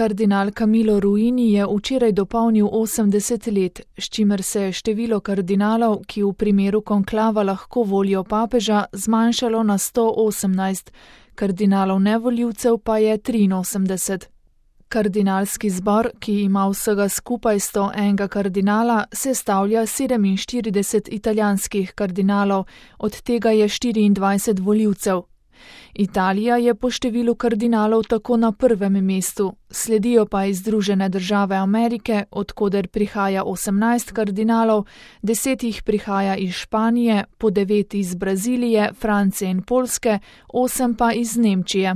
Kardinal Camillo Ruini je včeraj dopolnil 80 let, s čimer se je število kardinalov, ki v primeru konklava lahko volijo papeža, zmanjšalo na 118, kardinalov nevoljivcev pa je 83. Kardinalski zbor, ki ima vsega skupaj 101 kardinala, sestavlja 47 italijanskih kardinalov, od tega je 24 voljivcev. Italija je po številu kardinalov tako na prvem mestu, sledijo pa Združene države Amerike, od koder prihaja 18 kardinalov, 10 jih prihaja iz Španije, po 9 iz Brazilije, Francije in Poljske, 8 pa iz Nemčije.